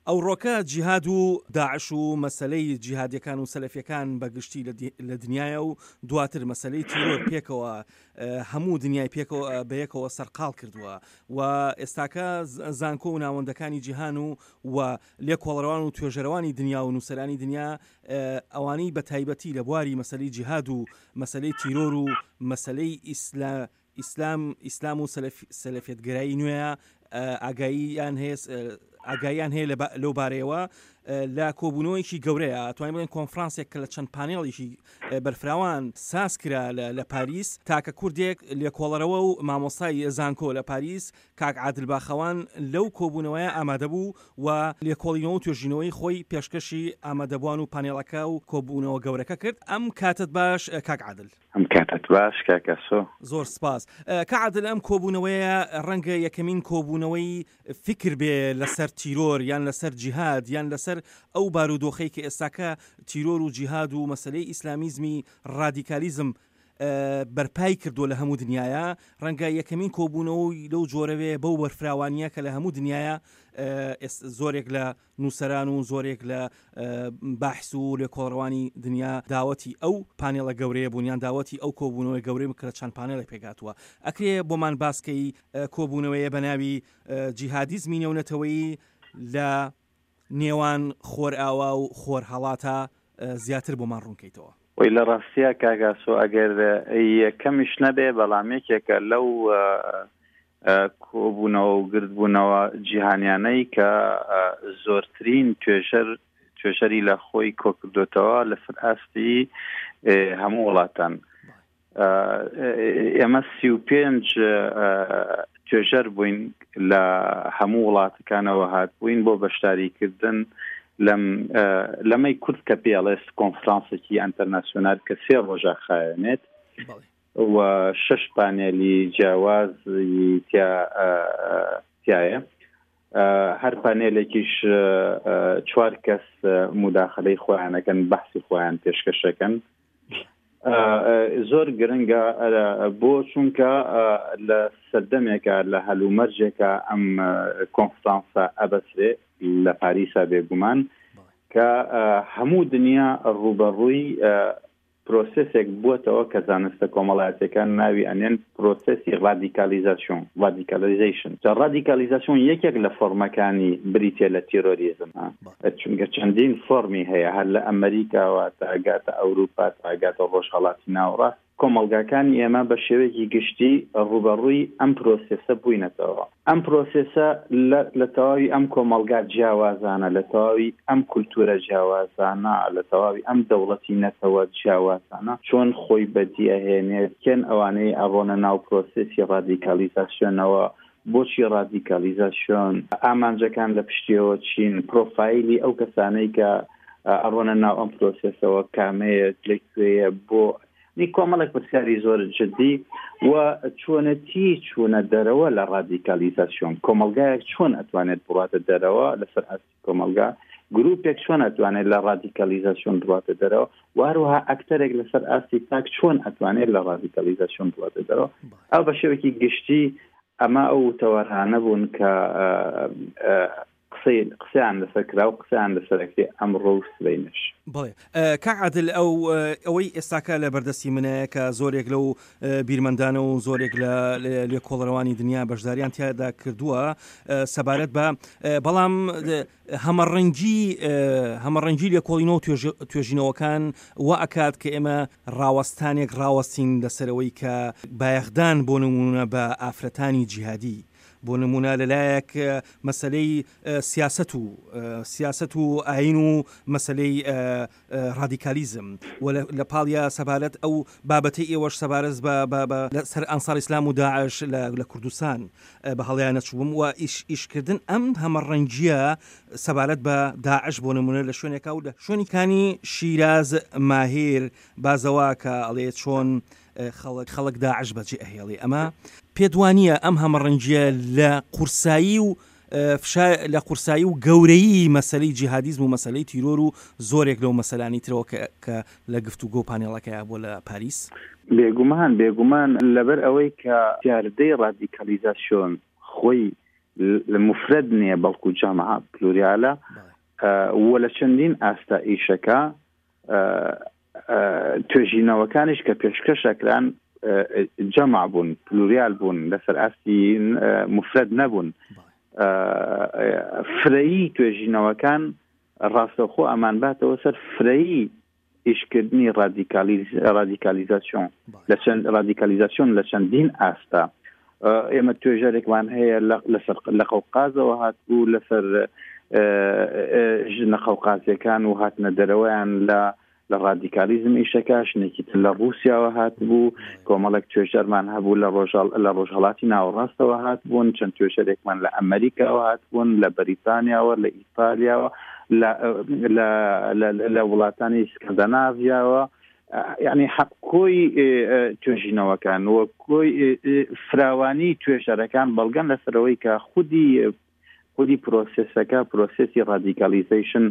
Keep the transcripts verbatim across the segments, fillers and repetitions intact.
ئەوڕۆکە جیهاد و داعش و مەسلەی جیهادیەکان و سەلەفیەکان بە گشتی لە دنیاە و دواتر مەسلەی تیرۆر پێکەوە هەموو دنیای پێکەوە بەیەکەوە سەرقاڵ کردووە و ئێستاکە زانکۆ و ناوەندەکانی جیهان و و لێکۆڵەرەوان و توێژەرەوانی دنیا و نووسەرانی دنیا ئەوانەی بە تایبەتی لە بواری مەسلەی جیهاد و مەسلەی تیرۆر و مەسلەی ئیسلا ئیسلام ئیسلام و سەلەفیەتگەرایی نوێیە ئاگاییان هەیە ئاگاییان هەیە لەو بارەیەوە لە کۆبوونەوەیەکی گەورەیە توانین بڵێن کۆنفرانسێک کە لە چەند پانێڵێکی بەرفراوان ساز کرا لە پاریس، تاکە کوردێک لێکۆڵەرەوە و مامۆستای زانکۆ لە پاریس کاک عادل باخەوان لەو کۆبوونەوەیە ئامادە بوو و لێکۆڵینەوە و توێژینەوەی خۆی پێشکەشی ئامادەبووان و پانێڵەکە و کۆبوونەوە گەورەکە کرد. ئەم کاتت باش کاک عادل. ئەم کاتت باش کاک ئاسۆ. زۆر سپاس. کاک عادل، ئەم کۆبوونەوەیە ڕەنگە یەکەمین کۆبوونەوەی فکر بێ لەسەر تیرۆر یان لەسەر جیهاد یان لەسەر ئەو بارودۆخەی کە ئێستاکە تیرۆر و جیهاد و مەسلەی ئیسلامیزمی ڕادیکالیزم بەرپای کردووە لە هەموو دنیاە، ڕەنگە یەکەمین کۆبوونەوەی لەو جۆرەوێ بەو بەرفراوانیە کە لە هەموو دنیاە زۆرێک لە نووسەران و زۆرێک لە باحس و لێکۆڵەوانی دنیا داوەتی ئەو پانێڵە گەورەیە بوون یان داوەتی ئەو کۆبوونەوەی گەورەی کە لە چەند پانێڵێک پێکهاتووە. ئەکرێ بۆمان باسکەی کۆبوونەوەیە بە ناوی جیهادیزمی نێونەتەوەیی لە نێوان خۆرئاوا و خۆرهەڵاتە زیاتر بۆمان ڕوونکەیتەوە؟ وی لە ڕاستیە کاک ئاسۆ ئەگەر یەکەمیش نەبێ بەڵام یەکێکە لەو کۆبوونەوە و گردبوونەوە جیهانیانەی کە زۆرترین توێژەر توێژەری لە خۆی کۆکردوتەوە لەسەر ئاستی هەموو وڵاتان. ئێمە سی و پێنج توێژەر بووین لە هەموو وڵاتەکانەوە هاتبووین بۆ بەشداریکردن لەم لەمەی کورد کە پێڵێست کۆنفرانسێکی ئینتەرناسیۆنال کە سێ ڕۆژە خایەنێت و شەش پانێلی جیاوازی تیایە. هەر پانێلێکیش چوار کەس مداخلەی خۆیانەکەن، بەحسی خۆیان پێشکەشەکەن. زۆر گرنگە بۆ چونکە لە سەردەمێکە لە هەلومەرجێکە ئەم کۆنفرانسە ئەبەسرێ لە پاریسا بێگومان کە هەموو دنیا ڕووبەڕووی پرۆسێسێک بووەتەوە کە زانستە کۆمەڵایەتیەکان ناوی ئەنێن پرۆسێسی ڕادیکالیزاسیۆن، ڕادیکالیزیشن. جا ڕادیکالیزاسیۆن یەکێک لە فۆرمەکانی بریتە لە تیرۆریزم، چونکە چەندین فۆرمی هەیە، هەر لە ئەمریکاوە تاگاتە ئەوروپا تاگاتە ڕۆژهەڵاتی ناوەڕاست. کۆمەڵگاکانی ئێمە بە شێوەیەکی گشتی ڕووبەڕووی ئەم پرۆسێسە بووینەتەوە. ئەم پرۆسێسە لە تەواوی ئەم کۆمەڵگا جیاوازانە، لە تەواوی ئەم کولتوورە جیاوازانە، لە تەواوی ئەم دەوڵەتی نەتەوە جیاوازانە چۆن خۆی بەدیەهێنێت، کێن ئەوانەی ئەڕۆنە ناو پرۆسێسی ڕادیکالیزاسیۆنەوە، بۆچی ڕادیکالیزاسیۆن، ئامانجەکان لە پشتیەوە چین، پرۆفایلی ئەو کەسانەی کە ئەڕۆنە ناو ئەم پرۆسێسەوە کامەیە، لەکوێیە، بۆ نی کۆمەڵێک پرسیاری زۆر جدی و چۆنەتی چوونە دەرەوە لە ڕادیکالیزاسیۆن. کۆمەلگایەک چۆن ئەتوانێت بڕاتە دەرەوە لەسەر ئاستی کۆمەلگا، گروپێک چۆن ئەتوانێت لە ڕادیکالیزاسیۆن بڕاتە دەرەوە، و هەروەها ئەکتەرێک لەسەر ئاستی تاک چۆن ئەتوانێت لە ڕادیکالیزاسیۆن بڕاتە دەرەوە. ئەو بە شێوەیەکی گشتی ئەمە ئەو تەوەرانە بوون کە قسەیان لەسەر کرا و قسەیان لەسەرەکرێ ئەمڕۆ و سبەینش. بەڵێ کاک عادل، ئەو ئەوەی ئێستاکە لە بەردەستی منە کە زۆرێک لەو بیرمەندانە و زۆرێک لە لێکۆڵەرەوانی دنیا بەشداریان تیادا کردووە سەبارەت بە بەڵام هەمەڕەنگی هەمەڕەنگی لێکۆڵینەوە توێژینەوەکان وا ئەکات کە ئێمە ڕاوەستانێک ڕاوەستین لەسەرەوەی کە بایەخدان بۆ نمونە بە ئافرەتانی جیهادی، بۆ نمونە لەلایەک مەسلەی سیاست و سیاست و ئاین و مەسلەی ڕادیکالیزم و لە پاڵیا سەبارەت ئەو بابەتەی ئێوەش سەبارەت بە سەر ئەنسار ئیسلام و داعش لە کوردستان بە هەڵیان نەچووم و ئیشکردن ئەم هەمەڕەنگیە سەبارەت بە داعش بۆ نمونە لە شوێنێکا و لە شوێنیکانی شیراز ماهیر بازەوە کە ئەڵێ چۆن خەڵک خەڵک داعش بەجێ ئەهێڵێ. ئەمە پێدوانیە ئەم هەمەڕەنگیە لە قورسایی و لە قورسایی و گەورەیی مەسلەی جیهادیزم و مەسلەی تیرۆر و زۆرێک لەو مەسەلانی ترەوە کە لە گفتوگۆ پانێڵەکەیا بۆ لە پاریس؟ بێگومان بێگومان لەبەر ئەوەی کە دیاردەی ڕادیکالیزاسیۆن خۆی مفرد نییە بەڵکو جامعە پلوریالە، و لە چەندین ئاستا ئیشەکە توێژینەوەکانیش کە پێشکەشەکران جەمع بوون، پلوریال بوون، لەسەر ئاستی مفرد نەبوون. فرەیی توێژینەوەکان ڕاستەوخۆ ئەمان باتەوە سەر فرەیی ئیشکردنی ڕادیکالیزاسیۆن لە چەند ڕادیکالیزاسیۆن لە چەندین ئاستا. ئێمە توێژەرێکمان هەیە لەسەر لە قەوقازەوە هاتبوو، لەسەر ژنە قەوقازیەکان و هاتنە دەرەوەیان لە لە ڕادیکالیزم ئیشەکە، شنێکی تر لە ڕووسیاوە هاتبوو، کۆمەڵێک توێژەرمان هەبوو لە ڕۆژهەڵاتی ناوەڕاستەوە هاتبوون، چەند توێژەرێکمان لە ئەمریکاوە هاتبوون، لە بەریتانیاوە، لە ئیتالیاوە، لە وڵاتانی سکەندەناڤیاوە. یعنی حەق کۆی توێژینەوەکان و کۆی فراوانی توێژەرەکان بەڵگەن لەسەرەوەی کە خودی خودی پرۆسێسەکە، پرۆسێسی ڕادیکالیزەیشن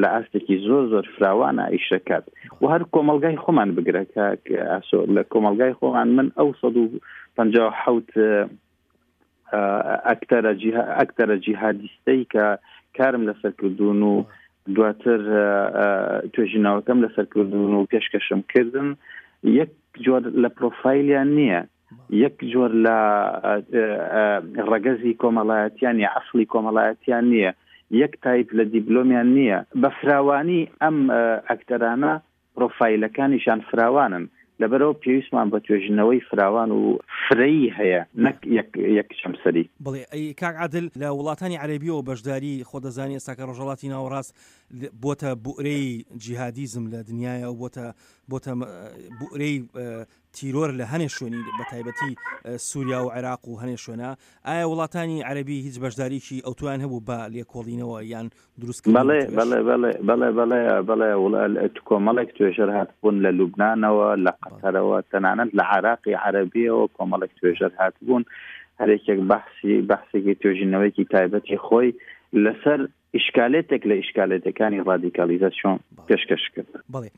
لە ئاستێکی زۆر زۆر فراوانە ئیشەکات. و هەر کۆمەلگای خۆمان بگرە کە ئاسۆ، لە کۆمەلگای خۆمان من ئەو سەد و پەنجا و حەوت ئەکتەرە ئەکتەرە جیهادیستەی کە کارم لەسەر کردوون و دواتر توێژینەوەکەم لەسەر کردوون و پێشکەشم کردن، یەک جۆر لە پرۆفایلیان نییە، یەک جۆر لە ڕەگەزی کۆمەڵایەتیان یا ئەسڵی کۆمەڵایەتیان نییە، یەک تایپ لە دیبلۆمیان نییە. بە فراوانی ئەم ئەکتەرانە پرۆفایلەکانیشان فراوانن، لەبەرەوە پێویستمان بە توێژینەوەی فراوان و فرەیی هەیە نەک یەک چەمسەری. بڵێ ئەی کاک عادل، لە وڵاتانی عەرەبیەوە بەشداری خۆ دەزانی ئێستاکە ڕۆژهەڵاتی ناوەڕاست بۆتە بوئرەی جیهادیزم لە دنیاە و بۆتە بۆتە بوئرەی تیرۆر لە هەنێ شوێنی بە تایبەتی سووریا و عێراق و هەنێ شوێنە. ئایا وڵاتانی عەرەبی هیچ بەشداریکی ئەوتویان هەبوو بە لێکۆڵینەوە یان دروستکردن؟ بەڵێ بەڵێ بەڵێ بەڵێ بەڵێ بەڵێ کۆمەڵێک توێژەر هاتبوون لە لوبنانەوە، لە قەتەرەوە، تەنانەت لە عێراقی عەرەبیەوە کۆمەڵێک توێژەر هاتبوون، هەرێکێک بەحسی بەحسێکی توێژینەوەیەکی تایبەتی خۆی لەسەر ئیشکالێتێک لە ئیشکالێتەکانی ڕادیکالیزاسیۆن پێشکەش کرد. بەڵێ،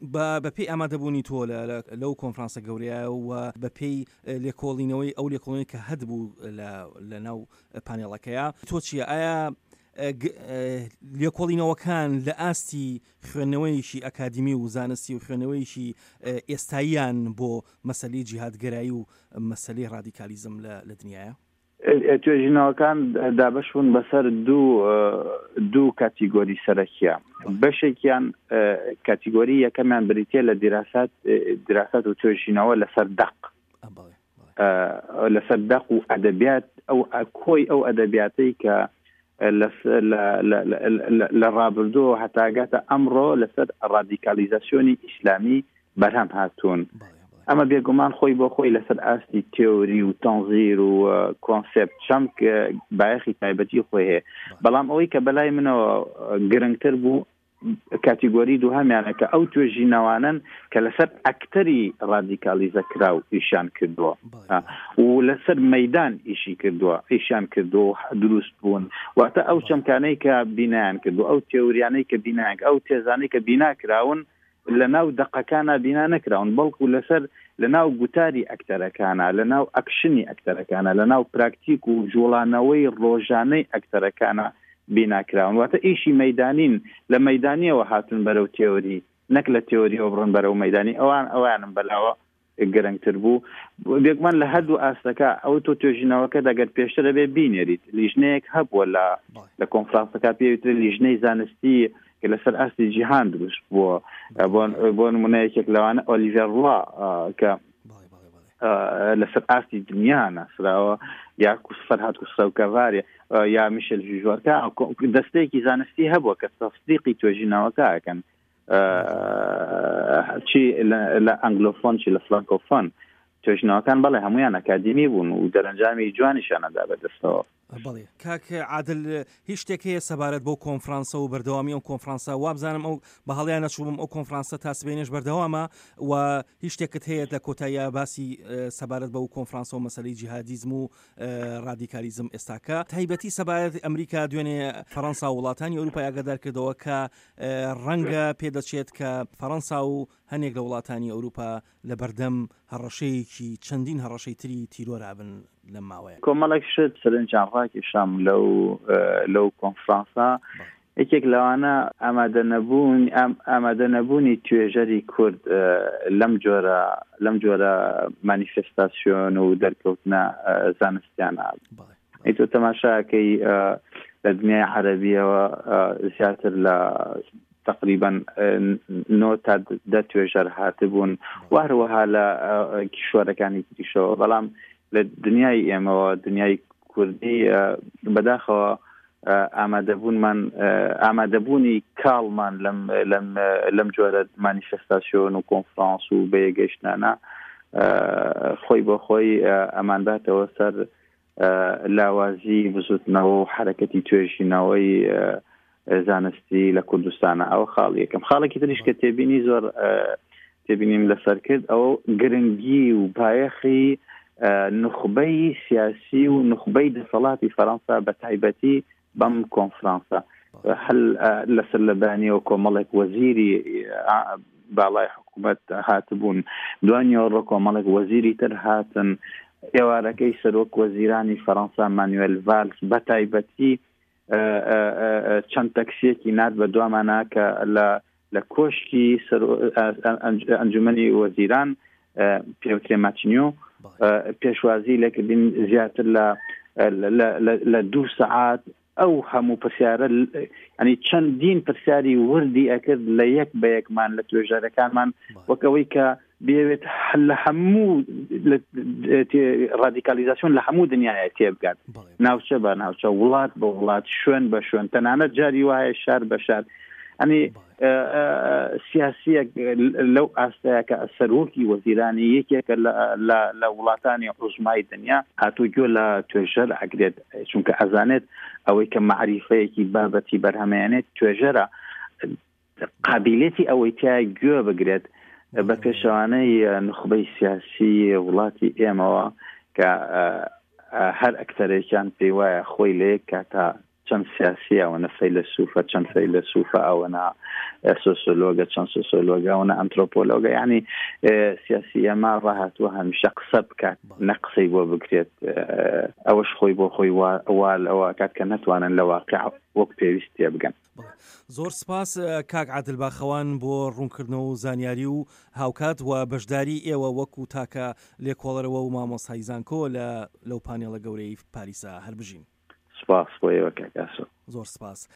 بەپێی ئامادەبوونی تۆ لەو کۆنفرانسە گەورەیە و بەپێی لێکۆڵینەوەی ئەو لێکۆڵینەوەی کە هەبوو لە ناو پانێڵەکەیە، تۆ چییە؟ ئایا لێکۆڵینەوەکان لە ئاستی خوێندنەوەیەکی ئەکادیمی و زانستی و خوێندنەوەیەکی ئێستاییان بۆ مەسلەی جیهادگەرایی و مەسلەی ڕادیکالیزم لە دنیاە؟ توێژینەوەکان دابەش بوون بەسەر دوو دوو کاتیگۆری سەرەکیە. بەشێکیان کاتیگۆری یەکەمیان بریتە لە دیراسات دیراسات و توێژینەوە لەسەر دەق، لەسەر دەق و ئەدەبیات، ئەو کۆی ئەو ئەدەبیاتەی کە لە ڕابردوو هەتاگاتە ئەمڕۆ لەسەر ڕادیکالیزاسیۆنی ئیسلامی بەرهەم هاتوون. ئەمە بێگومان خۆی بۆ خۆی لەسەر ئاستی تێوری و تەنزیر و کۆنسێپت چەمک بایەخی تایبەتی خۆی هەیە. بەڵام ئەوەی کە بەلای منەوە گرنگتر بوو کاتیگۆری دووهەمیانە کە ئەو توێژینەوانن کە لەسەر ئەکتەری ڕادیکالیزە کراو ئیشیان کردووە و لەسەر مەدان ئیشی کردووە، ئیشیان کردووە دروست بوون. واتە ئەو چەمکانەی کە بینایان کردو، ئەو تێوریانەی کە بینایان، ئەو تێزانەی کە بینا کراون لە ناو دەقەکانە بینا نەکراون، بەڵکو لەسەر لە ناو گوتاری ئەکتەرەکانە، لە ناو ئەکشنی ئەکتەرەکانە، لە ناو پراکتیک و جوڵانەوەی ڕۆژانەی ئەکتەرەکانە بیناکراون. واتە ئیشی مەدانین، لە مەدانیەوە هاتون بەرەو تێوری، نەک لە تێوریەوە بڕن بەرەو مەدانی. ئەوان ئەوانم بەلاوە گرنگتر بوو. بێگومان لە هەردوو ئاستەکە ئەو تۆ توێژینەوەکە دەگەر پێشتر ئەبێ بینێریت، لیژنەیەک هەبووە لە لە کۆنفرانسەکە پێویتر لیژنەی زانستی کە لەسەر ئاستی جیهان دروست بووە. بۆ نمونە یەکێک لەوانە ئۆلیڤێر ڕوا کە لەسەر ئاستی دنیا ناسراوە، یا فەرهاد کوسرەو کەڤاری یا میشل ژوژوەرکە، دەستەیەکی زانستی هەبووە کە تەسدیقی توێژینەوەکە ئەکەن، چی لە ئەنگلۆفۆن چی لە فرانکۆفۆن. توێژینەوەکان بەڵێ هەمویان ئەکادیمی بوون و دەرەنجامی جوانیشیانەدا بەدەستەوە. بەڵێ کاک عادل، هیچ شتێک هەیە سەبارەت بۆ کۆنفرانسە و بەردەوامی ئەو کۆنفرانسە؟ وابزانم ئەو بە هەڵیان نەچووم ئەو کۆنفرانسە تا سبەینێش بەردەوامە و هیچ شتێکت هەیە لە کۆتاییە باسی سەبارەت بەو کۆنفرانسە و مەسلەی جیهادیزم و ڕادیکالیزم ئێستاکە، تایبەتی سەبارەت ئەمریکا دوێنێ فەڕەنسا و وڵاتانی ئەوروپای ئاگادار کردەوە کە ڕەنگە پێدەچێت کە فەڕەنسا و هەنێک لە وڵاتانی ئەوروپا لە بەردەم هەڕەشەیەکی چەندین هەڕەشەی تری تیرۆرابن لەم ماوەیە. کۆمەڵێک شت سەرنجیان ڕاکێشام لەو لەو کۆنفرانسە. یەکێک لەوانە ئامادە نەبوون ئامادە نەبوونی توێژەری کورد لەم جۆرە لەم جۆرە مانیفستاسیۆن و دەرکەوتنە زانستیانە. ئەی تۆ تەماشاکەی لە دنیای عەرەبیەوە زیاتر لە تقریبا نۆ تا دە توێژەر هاتبوون و هەروەها لە کیشوەرەکانی تریشەوە، بەڵام لە دنیای ئێمەوە دنیای کوردی بەداخەوە ئامادەبوونمان ئامادەبوونی کاڵمان لەم لەم لەم جۆرە مانیفستاسیۆن و کۆنفرانس و بەیەگەیشتنانە خۆی بۆ خۆی ئەمانباتەوە سەر لاوازی بزوتنەوە و حرەکەتی توێژینەوەی زانستی لە کوردستانە. ئەوە خاڵ یەکەم. خاڵێکی تریش کە تێبینی زۆر تێبینیم لەسەر کرد ئەو گرنگی و بایەخی نوخبەی سیاسی و نوخبەی دەسەڵاتی فەرەنسا بە تایبەتی بەم کۆنفرانسە. هەل لەسەر لەبانیەوە کۆمەڵێک وەزیری باڵای حکوومەت هاتبوون، دوانیەوە کۆمەڵێک وەزیری تر هاتن. ئێوارەکەی سەرۆک وەزیرانی فەرەنسا مانوێل ڤالس بە تایبەتی چەند تەکسیەکی نات بە دوامانە کە لە کۆشکی ئەنجومەنی وەزیران پێوترێ ماتینیۆ پێشوازی لەکردین زیاتر لە لە دوو سەعات. ئەو هەموو پرسیارە ینی چەندین پرسیاری وردی ئەکرد لە یەک بە یەکمان لە توێژەرەکانمان، وەک ئەوەی کە بێوێت لە هەموو ڕادیکالیزاسیۆن لە هەموو دنیاە تێبگات، ناوچە بە ناوچە، وڵات بە وڵات، شوێن بە شوێن، تەنانەت جاری وایە شار بە شار. ئەنی سیاسیەک لەو ئاستەیە کە سەرۆکی وەزیرانی یەکێکە لە وڵاتانی عوزمای دنیا هاتوو گوێ لە توێژەر ئەگرێت، چونکە ئەزانێت ئەوەی کە مەعریفەیەکی بابەتی بەرهەمێنێت توێژەرە قابلێتی ئەوەی تیا گوێ بگرێت. بە پێشەوانەی نوخبەی سیاسی وڵاتی ئێمەوە کە هەر ئەکتەرێکیان پێی وایە خۆی لە یەک کاتا چەند سیاسی ئەوەنە فەیلەسوفە، چەند فەیلەسوفە، ئەوەنە سۆسیۆلۆگە، چەند سۆسیۆلۆگە، ئەوەنە ئەنترۆپۆلۆگە. یعنی سیاسی ئێمە ڕاهاتووە هەمیشە قسە بکات نە قسەی بۆ بکرێت. ئەوەش خۆی بۆ خۆی وا لەوە کات کە نەتوانن لە واقع وەک پێویست تێبگەن. زۆر سپاس کاک عادل باخەوان بۆ ڕوونکردنەوە و زانیاری و هاوکات و بەشداری ئێوە وەکو تاکە لێکۆڵەرەوە و مامۆستای زانکۆ لە لەو پانێڵە گەورەی پاریسا. هەر بژین. سپاس بۆ ئێوە کاک ئاسۆ. زۆر سپاس.